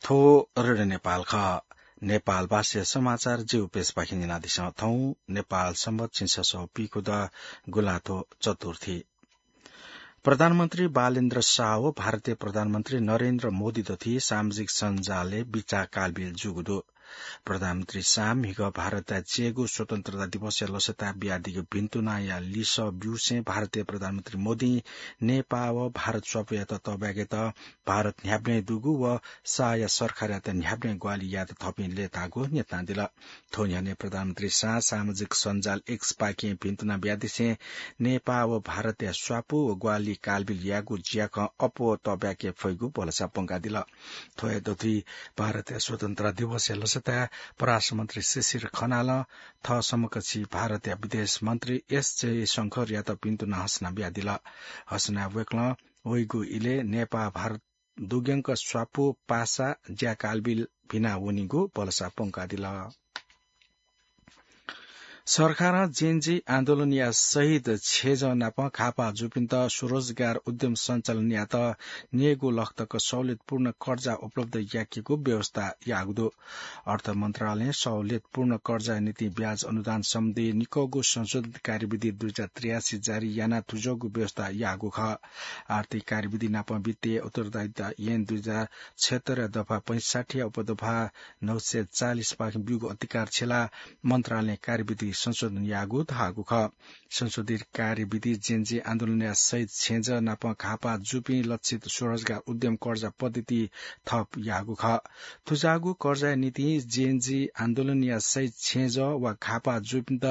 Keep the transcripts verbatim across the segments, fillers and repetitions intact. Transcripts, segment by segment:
थ्व रेडियो नेपाल खः। नेपाल भाषाया समाचार ज्यू पेजपाखें न्यनादिसँ। थौं नेपाल संवत् झिंछसः पीखुदँ गुंलाथ्व चतुर्थी। प्रधानमन्त्री बालेन्द्र शाह व भारतीय प्रधानमन्त्री नरेन्द्र मोदी दथुइ सामाजिक सञ्जालय् बिचाः कालबिल जूगु दु। प्रधानमन्त्री शाहं म्हिगः भारतया चय्गू स्वतन्त्रता दिवसया लसताय् बियादीगु भिन्तुनाया लिसः ब्यूसें भारतीय प्रधानमन्त्री मोदीं नेपाः व भारत स्वापूयात तःब्याकेत भारत न्ह्याबलें दुगु व शाहया सरकारयात न्ह्याबलें ग्वाहालि यायेत थःपिं लय्ताःगु न्यनादिल। थ्व न्ह्यःने प्रधानमन्त्री शाहं सामाजिक सञ्जाल X पाखें भिन्तुना बियादिसें नेपाः व भारतया स्वापू व ग्वाहालि कालबिल यायेगु ज्याखँ अप्वः तःब्याके फइगु भलसा प्वंकादिल। थ्व हे दथुइ भारतया स्वतन्त्रता दिवसया लसताय् परराष्ट्र मन्त्री शिशिर खनालं थः समकक्षी भारतया विदेश मन्त्री एस जयशंकरयात भिन्तुना हसना बियादिल। हसनाय् वय्कलं वइगु इलय् नेपाः भारत दुग्यंक स्वापू पासा ज्या कालबिल भिना वनीगु भलसा प्वंकादिल। सरकारं जेनजी आन्दोलनया शहीद छेँजः नाप घाःपाः जूपिन्त स्वरोजगार उद्यम सञ्चालन यायेत न्यय्गू लख तक सहुलियतपूर्ण कर्जा उपलब्ध याकेगु व्यवस्था याःगु दु। अर्थ मन्त्रालयं सहुलियतपूर्ण कर्जाया निंतिं ब्याज अनुदान सम्बन्धी निकःगु संशोधित कार्यविधि दुई हजार त्रियासी जारी यानाः थुज्वःगु व्यवस्था याःगु खः। आर्थिक कार्यविधि नाप वित्तीय उत्तरदायिता ऐन दुई हजार छयत्तरया दफा पैंसठ्ठीया उपदफा नौ सय चालिस पाखें ब्यूगु अधिकार छ्यलाः मन्त्रालयं कार्यविधि संशोधन याःगु धाःगु खः। संशोधित कार्यविधि जेनजी आन्दोलनया शहीद छेँजः नाप घाःपाः जूपिं लक्षित स्वरोजगार उद्यम कर्जा पद्धति थप याःगु खः। थुज्याःगु कर्जाया निंतिं जेनजी आन्दोलनया शहीद छेँजः वा घाःपाः जूपिन्त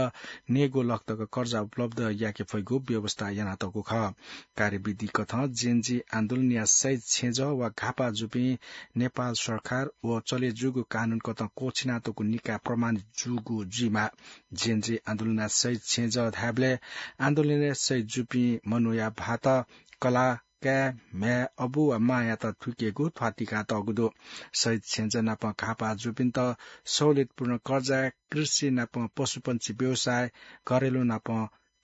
न्यय्गू लख तक कर्जा उपलब्ध याके फइगु व्यवस्था यानातःगु खः। कार्यविधि कथं जेनजी आन्दोलनया शहीद छेँजः वा घाःपाः जूपिं नेपाल सरकार व चले जूगु कानून कथं क्वःछिनातःगु निकाय प्रमाणित जूगु जुइमाः। जेनजी आन्दोलनया शहीद छेँजः धायेबलय् आन्दोलनय् शहीद जूपिं मनूया भाःत, कलाः, काय्, म्ह्याय्, अबु वा मांयात थुइकेगु थ्वातिकातःगु दु। शहीद छेँजः नाप घाःपाः जूपिन्त सहुलियतपूर्ण कर्जाय् कृषि नाप पशुपंक्षी व्यवसाय, घरेलु नाप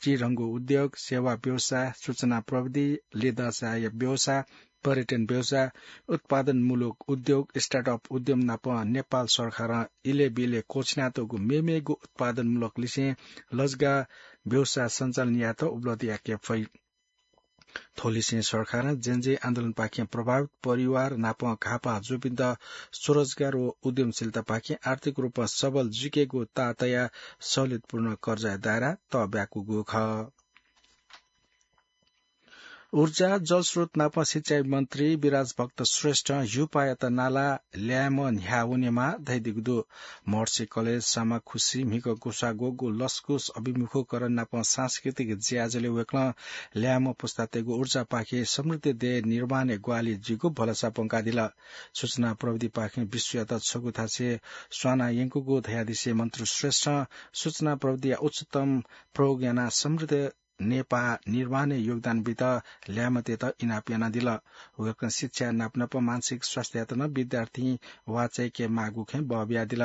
चिधंगु उद्योग, सेवा व्यवसाय, सूचना प्रविधि, लेदँसाया व्यवसाय, पर्यटन व्यवसाय, उत्पादनमूलक उद्योग, स्टार्टअप उद्यम नाप नेपाल सरकारं इलय् ब्यलय् क्वःछिनातःगु मेमेगु उत्पादनमूलक लिसें लजगाः व्यवसाय सञ्चालन यायेत उपलब्ध याके फइ। थ्व लिसें सरकारं जेनजी आन्दोलनपाखें प्रभावित परिवार नाप घाःपाः जूपिन्त स्वरोजगार व उद्यमशीलतापाखें आर्थिक रूपं सबल जुइकेगु ताःतयाः सहुलियतपूर्ण कर्जाया दायरा तःब्याकूगु खः। ऊर्जा, जलस्रोत नाप सिँचाइ मन्त्री विराजभक्त श्रेष्ठं ह्युपायात नालाः ल्याय्म्ह न्ह्याः वनेमाः धयादीगु दु। महर्षि कलेज सामाखुसी म्हिगः ग्वसाः ग्वःगु लसकुस अभिमुखीकरण नाप सांस्कृतिक ज्याझ्वलय् वय्कलं ल्याय्म्ह पुस्तातय्गु ऊर्जापाखें समृद्ध देय् निर्माणय् ग्वाहालि जुइगु भलसा प्वंकादिल। सूचना प्रविधिपाखें विश्वयात छगू थासय् स्वाना यंकूगु धयादिसें मन्त्री श्रेष्ठं सूचना प्रविधिया उच्चतम प्रयोग यानाः समृद्ध नेपाः निर्माणय् योगदान बीत ल्याय्म्हतय्त इनाप यानादिल। वय्कलं शिक्षा नापनाप मानसिक स्वास्थ्ययात नं विद्यार्थीं वाःचाय्के माःगु खँय् बः बियादिल।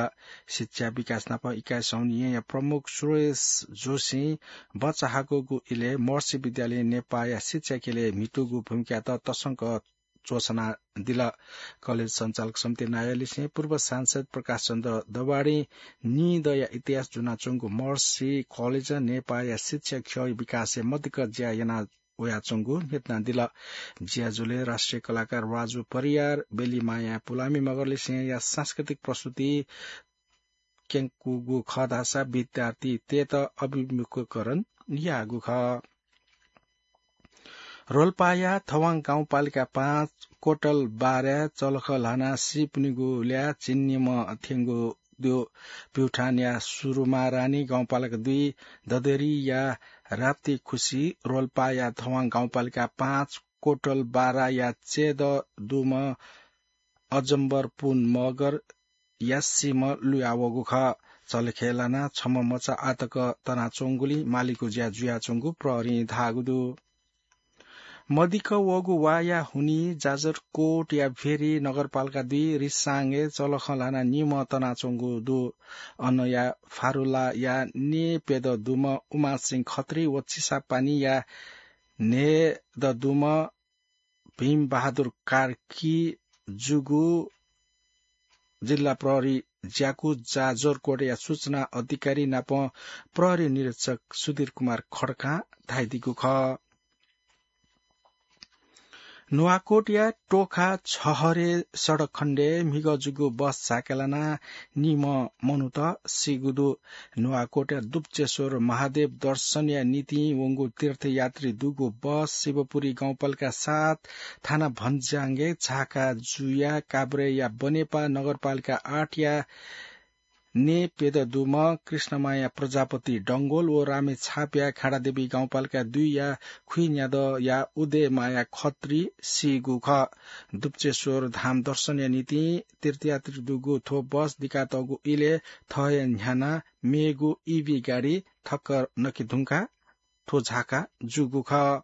शिक्षा विकास नाप इकाइ संवहनी येँया प्रमुख सुरेश जोशीं बचाहाकःगु इलय् महर्षि विद्यालयं नेपाःया शिक्षा ख्यलय् म्हितूगु भूमिकायात तसकं च्वछानादिल। कलेज सञ्चालक समिति नायःलिसें पूर्व सांसद प्रकाश चन्द्र दवाडीं नीदँया इतिहास ज्वनाच्वंगु महर्षि कलेजं नेपाःया शिक्षा ख्यःया विकासय् मदिक्क ज्या याना वयाच्वंगु न्ह्यथनादिल। ज्याझ्वलय् राष्ट्रिय कलाकार राजु परियार, बेली माया पुलामी मगरलिसेंया सांस्कृतिक प्रस्तुति क्यंकूगु खः धाःसा विद्यार्थीतय्त अभिमुखीकरण याःगु खः। रोल्पाया थवां गाउँपालिका पाँच कोटल बाराय् चलख ल्हानाः सीपिनिगु ल्याः चिनिम्ह थ्यंगु दु। प्युठानया सुरुमारानी गाउँपालिका दुई ददेरीया राप्ती खुसी रोल्पाया थवां गाउँपालिका पाँच कोटल बाराया चय्दः दुम्ह अजम्बर पुन मगर यासीम्ह लुयावःगु खः। चलखय् लानाः छम्ह मचा आतक तनाच्वंगुलिं मालीगु ज्या जुयाच्वंगु प्रहरीं धाःगु दु। मदिक्क वःगु वाःया हुनिं जाजरकोटया भेरी नगरपालिका दुई रिसाङय् चलखं ल्हानाः निम्ह तनाच्वंगु दु। अनया फारुलाया न्येप्यदँ दुम्ह उमासिंह खत्री व चिसापानीया न्हय्दँ दुम्ह भीमबहादुर कार्की जुगु जिल्ला प्रहरी ज्याकू जाजरकोटया सूचना अधिकारी नाप प्रहरी निरीक्षक सुधीर कुमार खड्कां धाइदिगु खः। नुवाकोटया टोखा छहरे सडक खण्डय् म्हिगः जूगु बस झाकेलाना निम्ह मनूत सीगु दु। नुवाकोटया दुप्चेश्वर महादेव दर्शनया निंतिं वंगु तीर्थयात्री दुगु बस शिवपुरी गाउँपालिका सात थाना भन्ज्याङय् झाका जुया काभ्रेया बनेपा नगरपालिका आठया ने पेददुम्ह कृष्णमाया प्रजापति डंगोल व रामेछापया खाडादेवी गाउँपालिका दुईया खुइन्यादँया उदयमाया खत्री सीगु खः। दुप्चेश्वर धाम दर्शनया निंतिं तीर्थयात्री दुगु थ्व बस दिकातःगु इलय् थःया न्ह्यानाः मेगु ईभी गाडी ठक्कर नके धुंकाः थ्व झाका जूगु खः।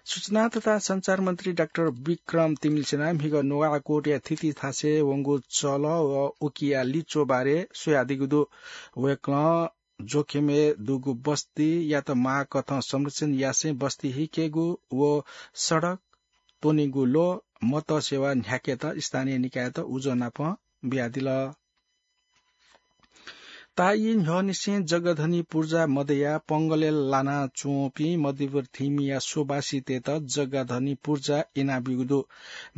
सूचना तथा सञ्चार मन्त्री डाक्टर विक्रम तिमिल्सिनां म्हिगः नुवाकोटया थिति थासय् वंगु चलः व उकिया लिच्वः बारे स्वयादीगु दु। वय्कलं जोखिमय् दुगु बस्तीयात माःकथं संरक्षण यासें बस्ती हिकेगु व सडक त्वनेगु ल्वः मतसेवा न्ह्याकेत स्थानीय निकायत उजं नाप बियादिल। ताःई न्ह्यःनिसें जग्गाधनी पुर्जा मदयाः पंगलय् लानाच्वंपिं मध्यपुर थिमिया स्वबासीतय्त जग्गाधनी पुर्जा इनाब्यूगु दु।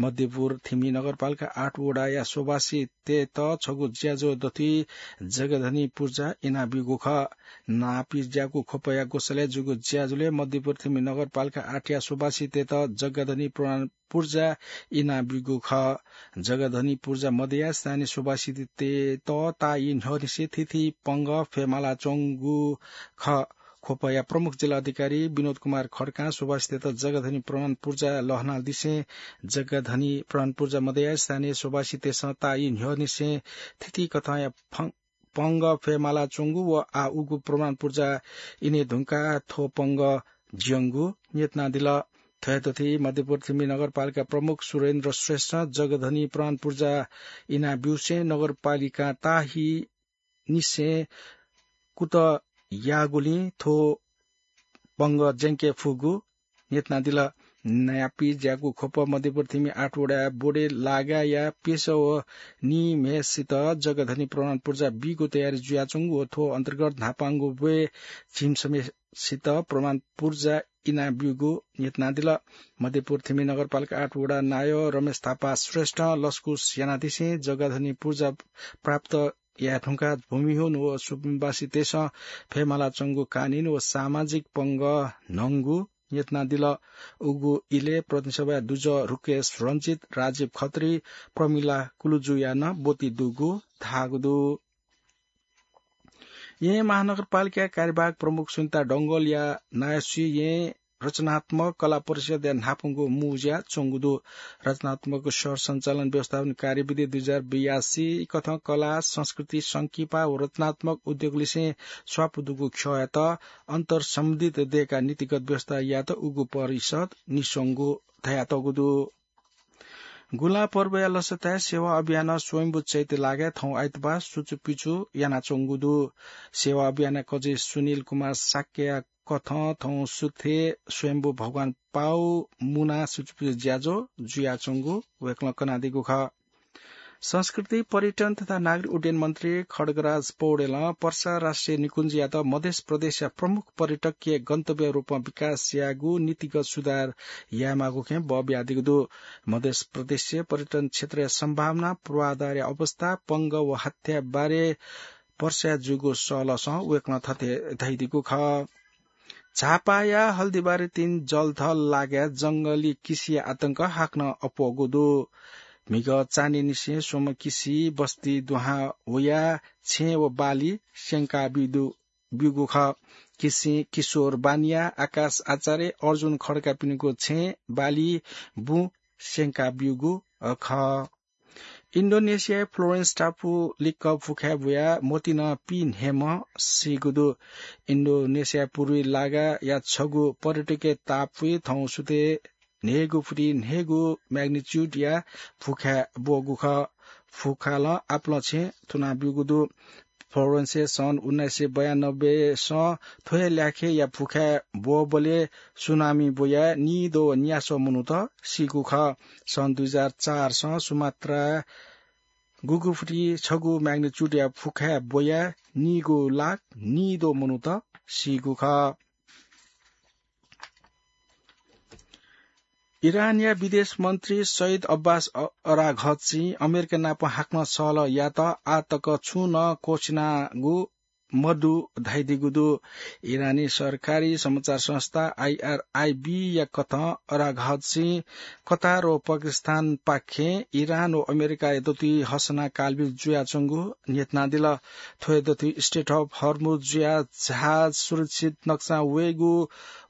मध्यपुर थिमि नगरपालिका आठ वडाया स्वबासीतय्त छगू ज्याझ्वः दथुइ जग्गाधनी पुर्जा इनाब्यूगु खः। नापी ज्याकू ख्वपया ग्वसालय् जूगु ज्याझ्वलय् मध्यपुर थिमि नगरपालिका आठया स्वबासीतय्त जग्गाधनी प्रमाण पुर्जा इनाब्यूगु खः। जग्गाधनी पुर्जा मदयाः स्थानीय स्वबासीतय्त ताःई न्ह्यःनिसें थीथी पंगः फयेमालाच्वंगु खः। ख्वपया प्रमुख जिल्ला अधिकारी विनोद कुमार खड्कां स्वबासीतय्त जग्गाधनी प्रमाण पुर्जा लःल्हानादिसें जग्गाधनी प्रमाण पुर्जा मदयाः स्थानीय स्वबासीतय्सं ताःई न्ह्यःनिसें थीथी कथंया फं-, पंगः फयेमालाच्वंगु व आः उगु प्रमाण पुर्जा इने धुंकाः थ्व पंगः ज्यंगु न्ह्यथनादिल। थथे दथुइ मध्यपुर थिमि नगरपालिका प्रमुख सुरेन्द्र श्रेष्ठं जग्गाधनी प्रमाण पुर्जा इनाब्यूसें नगरपालिकां ताःई निसें कुतः याःगुलिं थ्व पंगः ज्यंके फुगु न्ह्यथनादिल। नापी ज्याकू ख्वप मध्यपुर थिमि आठ वडाया बोडे लागाया प्यसः व निम्हय्सित जग्गाधनी प्रमाण पुर्जा बीगु तयारी जुयाच्वंगु व थ्व अन्तर्गत न्हापांगु ब्वय् झिम्हय्सित प्रमाण पुर्जा इनाब्यूगु न्ह्यथनादिल। मध्यपुर थिमि नगरपालिका आठ वडा नायः रमेश थापा श्रेष्ठं लसकुस यानादिसें जग्गाधनी पुर्जा प्राप्त याये धुंकाः भूमिहीन व स्वबासीतय्सं फयेमालाच्वंगु कानूनी व सामाजिक पंगः न्हंगु न्ह्यथनादिल। उगु इलय् प्रतिनिधि सभाया दुजः रुकेश रञ्जित, राजीव खत्री, प्रमिला कुलुजुया नं ब्वति दुगु धाःगु दु। येँ महानगरपालिकाया कार्यवाहक प्रमुख सुनिता डंगोलया नायःसुइ येँ रचनात्मक कला परिषदया न्हापांगु मुँज्या च्वंगु दु। रचनात्मक सर सञ्चालन व्यवस्थापन कार्यविधि दुई हजार बयासी कथं कला, संस्कृति, संकिपा व रचनात्मक उद्योगलिसें स्वापू दुगु ख्यःयात अन्तर्सम्बन्धित दय्काः नीतिगत व्यवस्था यायेत उगु परिषद निस्वंगु धयातःगु दु। गुंला पर्वया लसताय् सेवा अभियानं स्वयम्भू चैत्य लागाय् थौं आइतबाः सुचुपिचु यानाच्वंगु दु। सेवा अभियानया कजि सुनिल कुमार शाक्यया कथं थौं सुथय् स्वयम्भू भगवान पाउ मुनाः सुचुपिचु ज्याझ्वः जुयाच्वंगु वय्कलं कनादीगु खः। संस्कृति, पर्यटन तथा नागरिक उड्डयन मन्त्री खड्गराज पौडेलं पर्सा राष्ट्रिय निकुञ्जयात मधेस प्रदेशया प्रमुख पर्यटकीय गन्तव्य रूपं विकास यायेगु नीतिगत सुधार यायेमाःगु खँय् बः बियादीगु दु। मधेस प्रदेशय् पर्यटन क्षेत्रया सम्भावना, पूर्वाधारया अवस्था, पंगः व हत्या बारे पर्साय् जूगु सहलहसं वय्कलं थथे धयादीगु खः। झापाया हल्दीबारीतिनि जलथल लागाय् जंगली किसिया आतंक हाकनं अप्वःगु दु। म्हिगः चान्हय्निसें स्वम्ह किसि बस्ती दुहां वयाः छेँ व बाली स्यंका बी दु, ब्यूगु खः। किसिं किशोर बानिया, आकाश आचार्य, अर्जुन खड्कापिनिगु छेँ, बाली, बुँ स्यंका ब्यूगु, अ, खः। इन्डोनेसियाय् फ्लोरेन्स टापु लिक्क फुखाय् बुयाः मतिना पीन्हय्म्ह सीगु दु। इन्डोनेसियाय् पूर्वी लागाया छगू पर्यटकीय टापुइ थौं सुथय् न्हय्गू फुति न्हय्गू magnitude या फुखाय् ब्वःगु खः। फुखालं आपालं छेँ थुनाब्यूगु दु। फ्लोरेन्सय् सन् उन्नाइस सय बयानब्बेसं थ्व हे ल्याखय्या फुखाय् ब्वःबलय् सुनामी ब्वयाः निद्वः व न्यासः मनूत सीगु खः। सन् दुई हजार चारसं सुमात्राय् गुगु फुति छगू magnitude या फुखाय् ब्वयाः नीगू लाख नीद्वः मनूत सीगु खः। इरानया विदेश मन्त्री सैद अब्बास अ-, अराघचीं अमेरिका नाप हाकनं सहलह यायेत आः तक छुं नं क्वःछिनागु मदु धयादीगु दु। इरानी सरकारी समाचार संस्था आइआरआइबी या कथं अराघचीं कतार व पाकिस्तान पाखें इरान व अमेरिकाया दथुइ हसना कालबिल जुयाच्वंगु न्ह्यथनादिल। थ्व हे दथुइ Strait of Hormuz जुयाः जहाज सुरक्षित नक्सां वयेगु,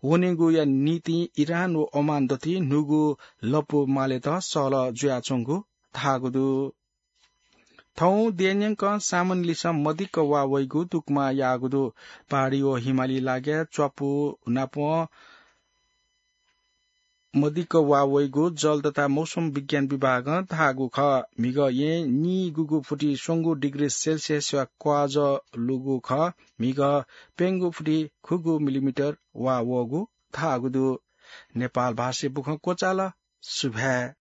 वनेगुया निंतिं इरान व ओमान दथुइ न्हूगु लँपु मालेत सहलह जुयाच्वंगु धाःगु दु। थौं देय्‌न्यंकं सामान्यलिसं मदिक्क वा वइगु दुकमा याःगु दु। पहाडी व हिमाली लागाय् च्वापु नापं मदिक्क वा वइगु जल तथा मौसम विज्ञान विभागं धाःगु खः। म्हिगः येँ नीगुगु फुति स्वंगू डिग्री सेल्सियसया क्वाजः लूगु खः। म्हिगः प्यंगू फुति खुगू मिलिमिटर वा वःगु धाःगु दु। नेपाल भाषाय् बुखँ क्वचाल। सुभाय्।